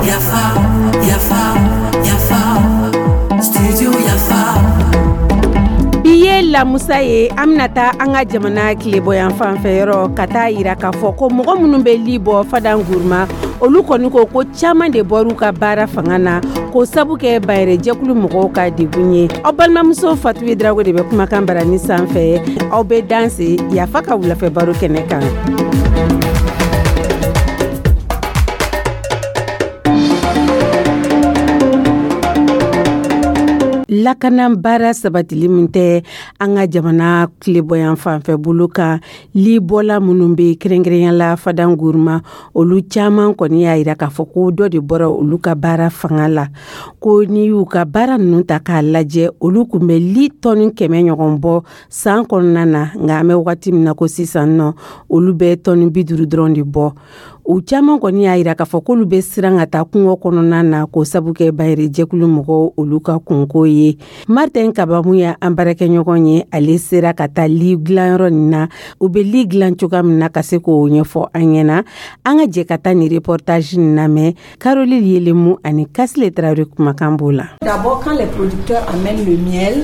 Yafa, yafa, yafa, studio Yafa. Bi ye lamusa ye. An bɛna taa an ka jamana tilebɔyan fanfɛ yɔrɔ ka taa yira k'a fɔ ko mɔgɔ minnu bɛ li bɔ Fadan Guruma, olu kɔni ko ko caman de bɔr'u ka baara fanga na k'o sabu kɛ bayɛrɛjɛkulu mɔgɔw ka degun ye. Aw balimamuso Fatu Drago de bɛ kumakan barani sanfɛ. Aw bɛ danse Yafa ka wulafɛ baro kɛnɛ kan. Lakana baara sabatili min tɛ an ka jamana tilebɔyan fanfɛ bolo kan, libɔla minnu bɛ kɛrɛnkɛrɛnya la Fadan Guruma, olu caman kɔni y'a yira k'a fɔ ko dɔ de bɔra olu ka baara fanga la, ko n'i y'u ka baara ninnu ta k'a lajɛ, olu tun bɛ li tɔni 100 ɲɔgɔn bɔ san kɔnɔna na, nka an bɛ wagati min na ko sisan nɔ, olu bɛ tɔni 50 dɔrɔn de bɔ. U caman kɔni y'a yira k'a fɔ k'olu bɛ siran ka taa kungo kɔnɔna na k'o sabu kɛ bayɛrɛjɛkulu mɔgɔw olu ka kunko ye. Martin Kabamu ye an baarakɛɲɔgɔn ye, ale sera ka taa li dilanyɔrɔ nin na, u bɛ li dilan cogoya min na, ka se k'o ɲɛfɔ an ɲɛna. An ka jɛ ka taa nin reportage nin lamɛn. Caroline Yelemu ani Kasile Traoré kumakan b'o la. D'abord, quand les producteurs amènent le miel,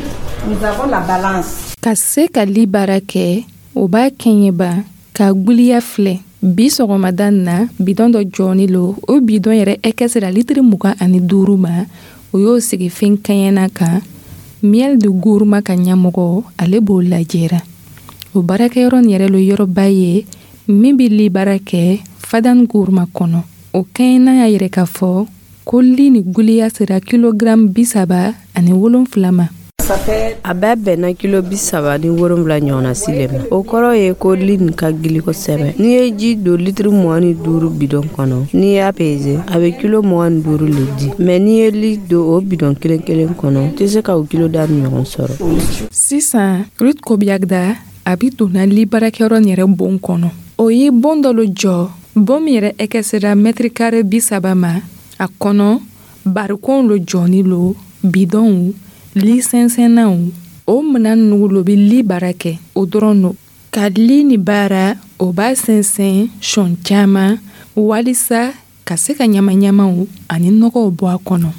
nous avons la balance. Ka se ka li baara kɛ, o b'a kɛɲɛba ka guliya filɛ. Bi sɔgɔmada na, bidɔn dɔ jɔni lo. O bidɔn yɛrɛ ɛkɛ sera litiri 25 ma. O y'o sigi fɛn kɛɲɛna kan. Miel de Gourma ka ɲɛmɔgɔ, ale b'o lajɛra. O baarakɛyɔrɔ nin yɛrɛ lo yɔrɔba ye min bɛ li baara kɛ Fadan Gourma kɔnɔ. O kɛɲɛna y'a yɛrɛ k'a fɔ ko li ni guliya sera kilogramme 37 ma. A bɛɛ bɛnna kilo 37 ɲɔgɔnna si le ma. O kɔrɔ ye ko li nin ka gili kosɛbɛ. N'i ye ji don litiri 25 bidɔn kɔnɔ, n'i y'a peze, a bɛ kilo 25 le di. Mɛ n'i ye li don o bidɔn kelen kelen kɔnɔ, i tɛ se ka o kilo da ni ɲɔgɔn sɔrɔ. Sisan, Ruth Kobiagda a bi donna li baarakɛyɔrɔ nin yɛrɛ bon kɔnɔ. O ye bon dɔ lo jɔ, bon min yɛrɛ ɛkɛ sera mɛtiri kare 30 ma. A kɔnɔ barikonw lo jɔni lo, bidɔnw, li sɛnsɛnnaw. O minan ninnu lo bɛ li baara kɛ o dɔrɔn lo. Ka li ni baara, o b'a sɛnsɛn sɔn caman walisa ka se ka ɲamaɲamaw ani nɔgɔw bɔ a kɔnɔ.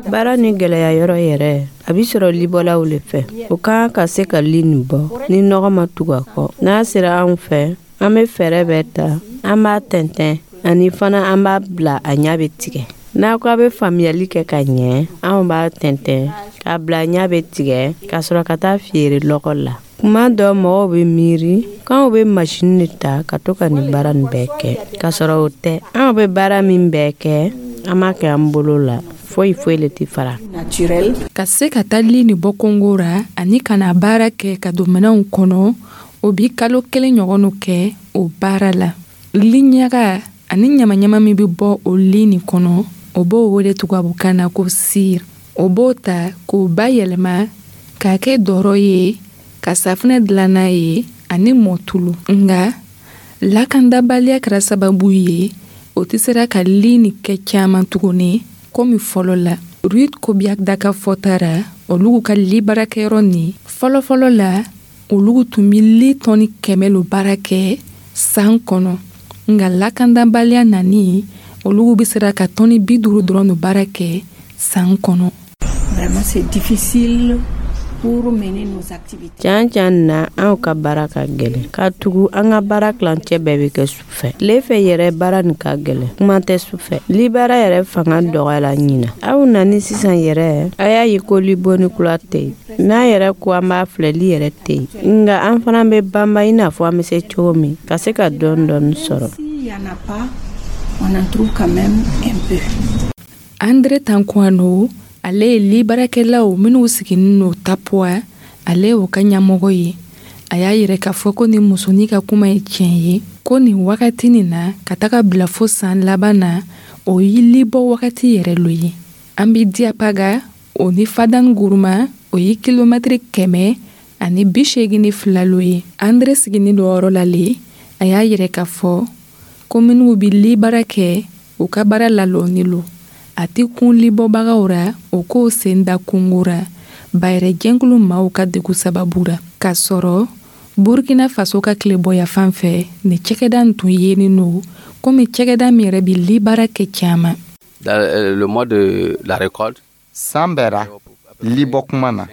Baara ni gɛlɛya yɔrɔ yɛrɛ, a bi sɔrɔ libɔlaw le fɛ. O ka kan ka se ka li nin bɔ ni nɔgɔ ma tugu a kɔ. N'a sera anw fɛ, an bɛ fɛɛrɛ bɛɛ ta, an b'a tɛntɛn ani fana an b'a bila a ɲa bɛ tigɛ. N'a ko a bɛ faamuyali kɛ ka ɲɛ, anw b'a tɛntɛn k'a bila ɲa bɛ tigɛ ka sɔrɔ ka taa feere lɔgɔ la. Kuma dɔ mɔgɔw bɛ miiri k'anw bɛ masini de ta ka to ka nin baara nin bɛɛ kɛ, k'a sɔrɔ o tɛ. Anw bɛ baara min bɛɛ kɛ, an b'a kɛ an bolo la, foyi foyi le tɛ fara. Ka se ka taa li ni bɔ Kongo ra ani ka na baara kɛ ka don minɛnw kɔnɔ, o bi kalo 1 ɲɔgɔn kɛ o baara la. Li ɲaga ani ɲamaɲama min bɛ bɔ o li nin kɔnɔ, o b'o wele tubabukan na ko cire. O b'o ta k'o bayɛlɛma k'a kɛ dɔrɔ ye, ka safunɛ dilan n'a ye ani mɔtulu. Nka lakandabaliya kɛra sababu ye o tɛ sera ka li nin kɛ caman tuguni komi fɔlɔ la. Ruth Kobiagda ka fɔta ra, olu ka li baarakɛyɔrɔ nin fɔlɔfɔlɔ la, olu tun bɛ li tɔni 100 lo baara kɛ san kɔnɔ. Nka lakandabaliya nani, olu bɛ sera ka tɔni 50 dɔrɔn lo baara kɛ san kɔnɔ. Vraiment, c'est difficile pour mener nos activités. Can can na, anw ka baara ka gɛlɛn, ka tugu an ka baara tilancɛ bɛɛ bɛ kɛ su fɛ. Tile fɛ yɛrɛ baara nin ka gɛlɛn, kuma tɛ su fɛ. Libaara yɛrɛ fanga dɔgɔyala ɲina. Aw nani sisan yɛrɛ, a y'a ye ko libonni kura tɛ yen. N'an yɛrɛ ko an b'a filɛ, li yɛrɛ tɛ yen. Nka an fana bɛ banba i n'a fɔ an bɛ se cogo min ka se ka dɔɔni dɔɔni sɔrɔ. S'il y en a pas, on en trouve quand même un peu. Andre Tankwano, ale ye li baarakɛlaw minnu sigilen no Tapoa, ale y'o ka ɲɛmɔgɔ ye. A y'a yɛrɛ k'a fɔ ko nin musonin ka kuma ye tiɲɛ ye, ko nin wagati nin na ka taga bila fo san laban na, o ye libɔ wagati yɛrɛ lo ye. An bi Diapaga o ni Fadan Guruma, o ye kilomɛtiri 182 lo ye. Andre sigilen do yɔrɔ la le, a y'a yɛrɛ k'a fɔ ko minnu bi li baara kɛ, u ka baara lalɔni lo. A tɛ kun libɔbagaw ra o k'o sen da kungo ra bayɛrɛ jɛnkulu maaw ka degun sababu ra, k'a sɔrɔ Burkina Faso ka tilebɔya fan fɛ, nin cɛkɛda nin tun yenin lo komi cɛkɛda min yɛrɛ bɛ libaara kɛ caman. Dans le mois de la récolte, San bɛɛ ra, libɔ kuma na,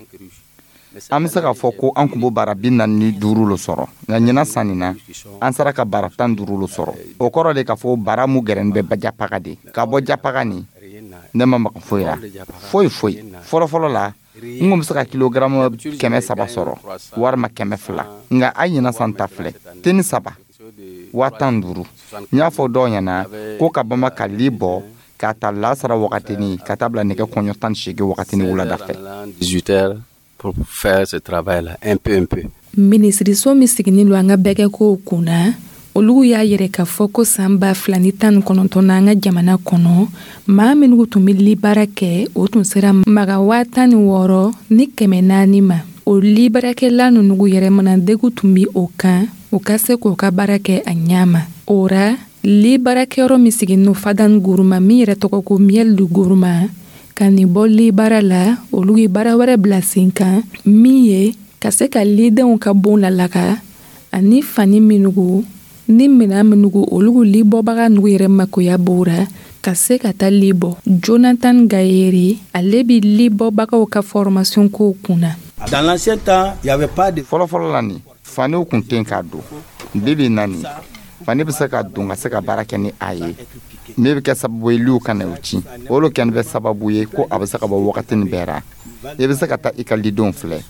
an bɛ se k'a fɔ ko an kun b'o bara 45 lo sɔrɔ, nka ɲinan san nin na, an sera ka bara 15 lo sɔrɔ. O kɔrɔ de k'a fɔ bara mu gɛrɛnin bɛ Japaga de. Ka bɔ Japaga nin, ne ma maga foyi la, foyi foyi. Fɔlɔfɔlɔ la, n kun bɛ se ka kilogaramu 300 sɔrɔ walima 200, nka a ɲinan san ta filɛ teni 3, 15 000. N y'a fɔ dɔw ɲɛna ko ka bama ka li bɔ k'a ta lasara wagatini ka taa bila nɛgɛ kɔɲɔ 18 wagatini wulada fɛ. 18 heures pour faire ce travail-là, un peu, un peu. Minisiriso min siginin lo an ka bɛgɛkow kunna, olu y'a yɛrɛ k'a fɔ ko san 2019 na, an ka jamana kɔnɔ, maa minnu tun bɛ libaara kɛ, o tun sera maga 16 400 ma. O libaarakɛla ninnu yɛrɛ mana degu tun bɛ o kan, u ka se k'o ka baara kɛ a ɲɛ ma. O ra, libaarakɛyɔrɔ min siginin Fadan Guruma, min yɛrɛ tɔgɔ ko Miel du Guruma, ka nin bɔ libaara la, olu ye baara wɛrɛ bila sen kan min ye ka se ka lidenw ka bon lalaga ani fani minugu ni minan minugu olu libɔbaga nugu yɛrɛ makoya b'o ra ka se ka taa libɔ. Jonathan Gayeri, ale bi libɔbagaw ka formation kow kunna. Dans l'ancien temps, il n'y avait pas de Fɔlɔfɔlɔ la nin, faniw kun tɛ k'a don. Bi bi na nin, fani bɛ se ka don ka se ka baara kɛ ni a ye, min bɛ kɛ sababu ye liw ka na o ci. O lo kɛni bɛ sababu ye ko a bɛ se ka bɔ wagati nin bɛɛ ra. I bɛ se ka taa i ka lidenw filɛ,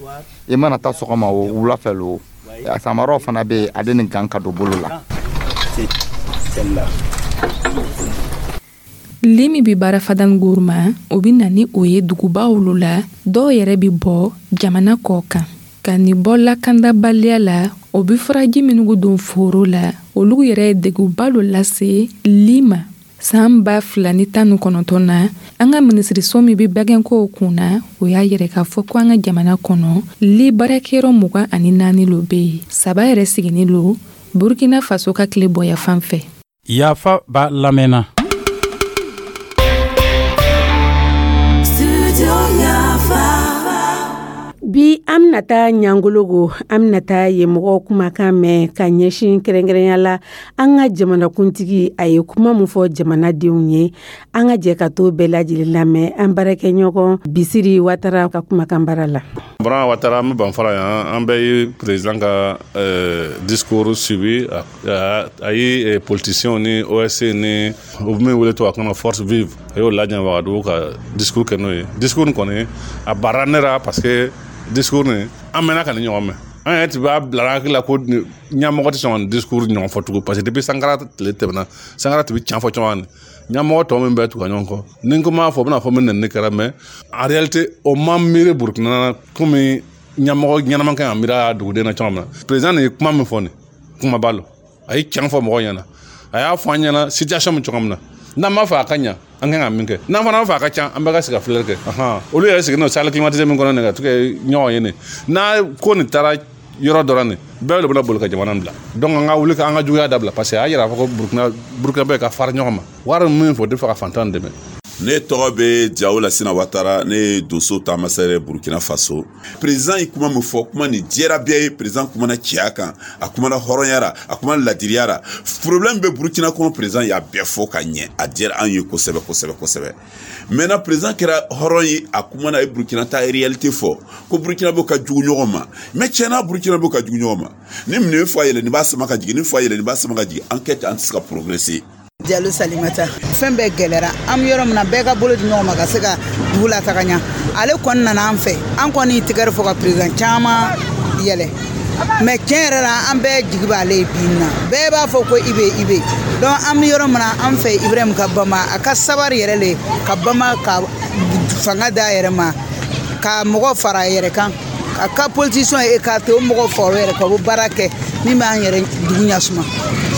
i mana taa sɔgɔma o, wula fɛ lo, samaraw fana bɛ yen, ale ni gan ka don bolo la. Celle-là. Li min bɛ baara Fadan Guruma, o bɛ na ni o ye dugubaw la, dɔw yɛrɛ bɛ bɔ jamana kɔ kan. Ka nin bɔ lakandabaliya la, o bɛ furaji minnu don foro la, olu yɛrɛ ye degunba dɔ lase li ma. San 2019 na, an ka minisiriso min bɛ bagɛnkow kunna, o y'a yɛrɛ k'a fɔ ko an ka jamana kɔnɔ, li baarakɛyɔrɔ 24 lo bɛ yen, saba yɛrɛ siginin lo Burkina Faso ka tile bɔya fan fɛ. Yafa b'a lamɛnna. Studio Yafa. Bi, an bɛna taa Ɲangologo, an bɛna taa yen mɔgɔw kumakan mɛn ka ɲɛsin kɛrɛnkɛrɛnya la an ka jamanakuntigi, a ye kuma min fɔ jamanadenw ye. An ka jɛ ka to bɛɛ lajɛlen lamɛn an baarakɛɲɔgɔn Bisiri Watara ka kumakan baara la. Bran Watara, an bɛ Banfara yan. An bɛɛ ye président ka discours suivi. A ye politiciens ni OSC ni u bɛ min wele tubabukan na force vive, a y'o lajɛ Wagadugu ka discours kɛ n'o ye. Discours nin kɔni, a baara ne ra, parce que discours nin, an mɛnna ka nin ɲɔgɔn mɛn. An yɛrɛ tun b'a bila an hakili la ko ɲɛmɔgɔ tɛ sɔn ka nin discours ɲɔgɔn fɔ tugun, parce que depuis Sankara tile tɛmɛna, Sankara tun bɛ tiɲɛ fɔ cogoya min, ɲɛmɔgɔ tɔ min bɛ tugu ɲɔgɔn kɔ, ni n ko m'a fɔ, u bɛna fɔ min nɛni kɛra. Mais en réalité, o ma miiri Burukina na komi ɲɛmɔgɔ ɲɛnama kan ka miiri a duguden na cogo min na. Président nin ye kuma min fɔ, nin kumaba lo. A ye tiɲɛ fɔ mɔgɔw ɲɛna, a y'a fɔ an ɲɛna situation min cogo min na, n'an b'a fɛ a ka ɲa, an kan ka min kɛ, n'an fana b'a fɛ a ka ca, an bɛɛ ka sigi ka filɛli kɛ. Olu yɛrɛ sigilen don salle climatisée min kɔnɔ nin, ka to kɛ ɲɔgɔn ye nin n'a ko nin taara yɔrɔ dɔ la, nin bɛɛ de bɛna boli ka jamana bila. Donc an ka wuli ka an ka juguya dabila, parce que a y'a yira k'a fɔ ko Burukina, Burukina bɛɛ ka fara ɲɔgɔn ma, wari min fɔ o tɛ fɛ ka fantan dɛmɛ. Ne tɔgɔ bɛ Jawo Lasina Watara, ne ye Doso taamasɛrɛ Burukina Faso. Président ye kuma min fɔ, kuma nin diyara bɛɛ ye. Président kumana cɛya kan, a kumana hɔrɔnya ra, a kumana ladiriya ra. Problème bɛ Burukina kɔnɔ, président y'a bɛɛ fɔ ka ɲɛ. A diyara an ye kosɛbɛ kosɛbɛ kosɛbɛ. Maintenant, président kɛra hɔrɔn ye, a kumana, a ye Burukina ta réalité fɔ, ko Burukina bɛ ka jugu ɲɔgɔn ma. Mais tiɲɛna, Burukina bɛ ka jugu ɲɔgɔn ma. Ni nin fa yɛlɛ, nin b'a sama ka jigin, ni fa yɛlɛ, nin b'a sama ka jigin. An kɛ ten, an tɛ se ka progresser. Jalo Salimata, fɛn bɛɛ gɛlɛra. An bɛ yɔrɔ min na, bɛɛ ka bolo di ɲɔgɔn ma ka se ka dugu lataga ɲa. Ale kɔni nana an fɛ, an kɔni tigɛrɛ fɔ ka président caman yɛlɛ, mais tiɲɛ yɛrɛ la, an bɛɛ jigi b'ale ye. Bi na, bɛɛ b'a fɔ ko IB, IB. Donc an bɛ yɔrɔ min na, an fɛ Ibrahim ka bama, a ka sabari yɛrɛ le, ka bama ka fanga d'a yɛrɛ ma, ka mɔgɔ fara a yɛrɛ kan, a ka politicien écarté, o mɔgɔ fara o yɛrɛ kan, o bɛ baara kɛ min b'an yɛrɛ dugu ɲasuma.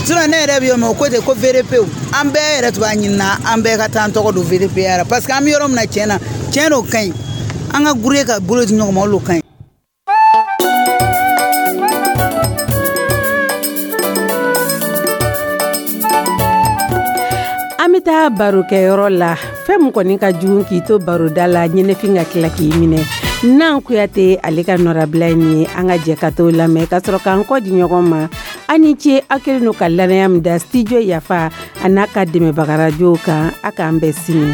Sinon ne yɛrɛ bɛ yɔrɔ min, o ko ten ko VDP, an bɛɛ yɛrɛ tun b'a ɲini na, an bɛɛ ka taa an tɔgɔ don VDP la, parce que an bɛ yɔrɔ min na, tiɲɛ na, tiɲɛ don, ka ɲi. An ka groupe ka bolo di ɲɔgɔn ma, o de ka ɲi. An bɛ taa barokɛyɔrɔ la. Fɛn min kɔni ka jugu k'i to baroda la, ɲɛnɛfin ka tila k'i minɛ. Nan Kuyate, ale ka nɔrabila ye nin ye. An ka jɛ ka t'o lamɛn ka sɔrɔ k'an kɔ di ɲɔgɔn ma. An ni ce, aw kɛlen don ka lanaya min da Studio Yafa a n'a ka dɛmɛbagarajow kan. A k'an bɛn sini.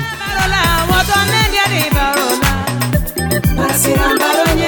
Baro.